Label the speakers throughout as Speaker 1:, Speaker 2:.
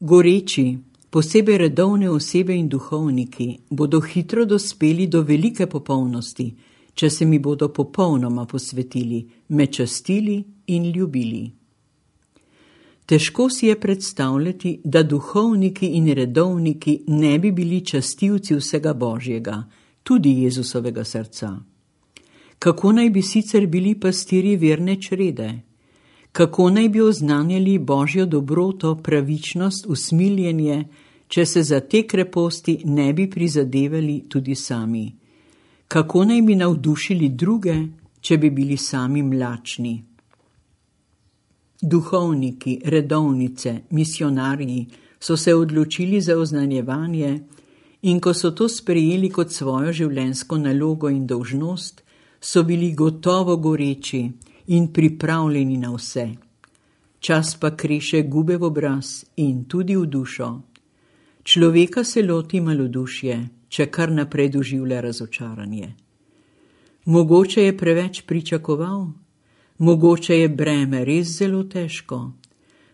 Speaker 1: Goreči, posebej redovne osebe in duhovniki, bodo hitro dospeli do velike popolnosti, če se mi bodo popolnoma posvetili, me častili in ljubili. Težko si je predstavljati, da duhovniki in redovniki ne bi bili častilci vsega Božjega, tudi Jezusovega srca. Kako naj bi sicer bili pastirji verne črede? Kako naj bi oznanjali Božjo dobroto, pravičnost, usmiljenje, če se za te kreposti ne bi prizadevali tudi sami? Kako naj bi navdušili druge, če bi bili sami mlačni? Duhovniki, redovnice, misionarji so se odločili za oznanjevanje in ko so to sprejeli kot svojo življenjsko nalogo in dolžnost, so bili gotovo goreči in pripravljeni na vse. Čas pa kreše gube v obraz in tudi v dušo. Človeka se loti malodušje, če kar naprej doživlja razočaranje. Mogoče je preveč pričakoval, mogoče je breme res zelo težko,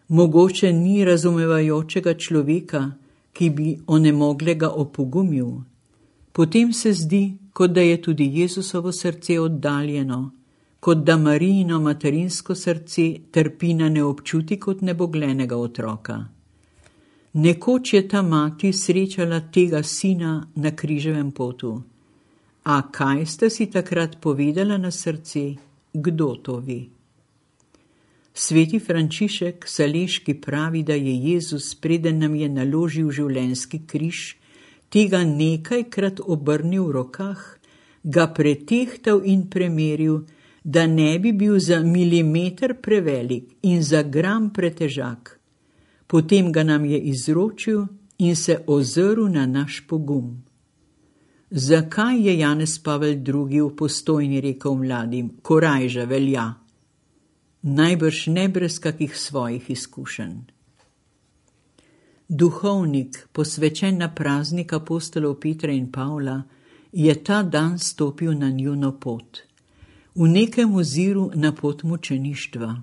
Speaker 1: mogoče ni razumevajočega človeka, ki bi onemoglega opogumil. Potem se zdi, kot da je tudi Jezusovo srce oddaljeno, kot da Marijino materinsko srce trpi na neobčuti kot neboglenega otroka. Nekoč je ta mati srečala tega sina na križevem potu. A kaj sta si takrat povedala na srce? Kdo to ve? Sveti Frančišek Saleški pravi, da je Jezus, preden nam je naložil življenjski križ, tega nekajkrat obrnil v rokah, ga pretehtal in premeril, da ne bi bil za milimeter prevelik in za gram pretežak. Potem ga nam je izročil in se ozrl na naš pogum. Zakaj je Janez Pavel II. V Postojni rekel mladim, korajža velja? Najbrž ne brez kakih svojih izkušenj. Duhovnik, posvečen na praznik apostolov Petra in Pavla, je ta dan stopil na njuno pot. V nekem oziru na pot mučeništva.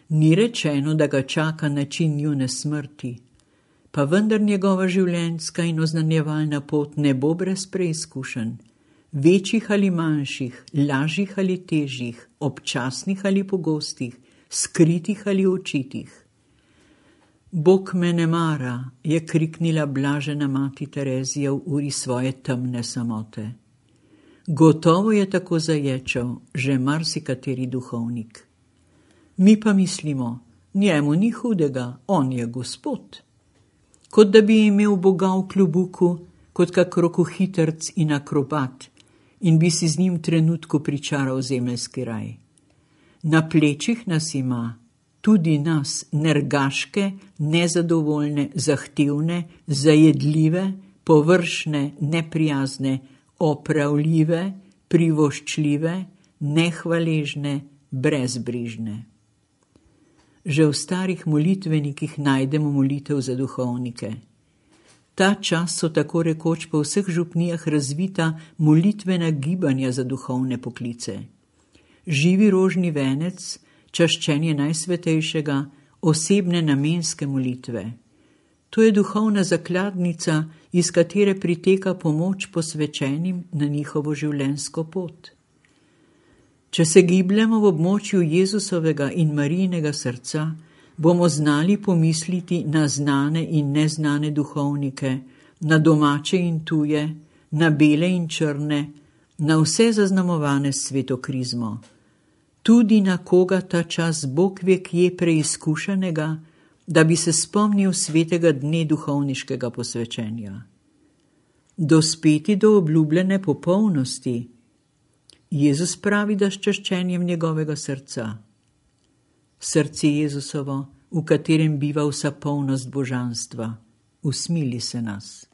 Speaker 1: Ni rečeno, da ga čaka način njune smrti, pa vendar njegova življenjska in oznanjevalna pot ne bo brez preizkušenj, večjih ali manjših, lažjih ali težjih, občasnih ali pogostih, skritih ali očitih. Bog me ne mara, je kriknila blažena mati Terezija v uri svoje temne samote. Gotovo je tako zaječal že marsikateri duhovnik. Mi pa mislimo, njemu ni hudega, on je Gospod. Kot da bi imel Boga v klobuku, kot kak rokohitrc in akrobat, in bi si z njim trenutku pričaral zemeljski raj. Na plečih nas ima, tudi nas, nergaške, nezadovoljne, zahtevne, zajedljive, površne, neprijazne, opravljive, privoščljive, nehvaležne, brezbrižne. Že v starih molitvenikih najdemo molitev za duhovnike. Ta čas so tako rekoč po vseh župnijah razvita molitvena gibanja za duhovne poklice. Živi rožni venec, čaščenje najsvetejšega, osebne namenske molitve. To je duhovna zakladnica, iz katere priteka pomoč posvečenim na njihovo življenjsko pot. Če se gibljamo v območju Jezusovega in Marijinega srca, bomo znali pomisliti na znane in neznane duhovnike, na domače in tuje, na bele in črne, na vse zaznamovane svetokrizmo. Tudi na koga ta čas Bog ve kje preizkušenega, da bi se spomnil svetega dne duhovniškega posvečenja. Dospeti do obljubljene popolnosti. Jezus pravi, da s čaščenjem njegovega srca. Srce Jezusovo, v katerem biva vsa polnost božanstva, usmili se nas.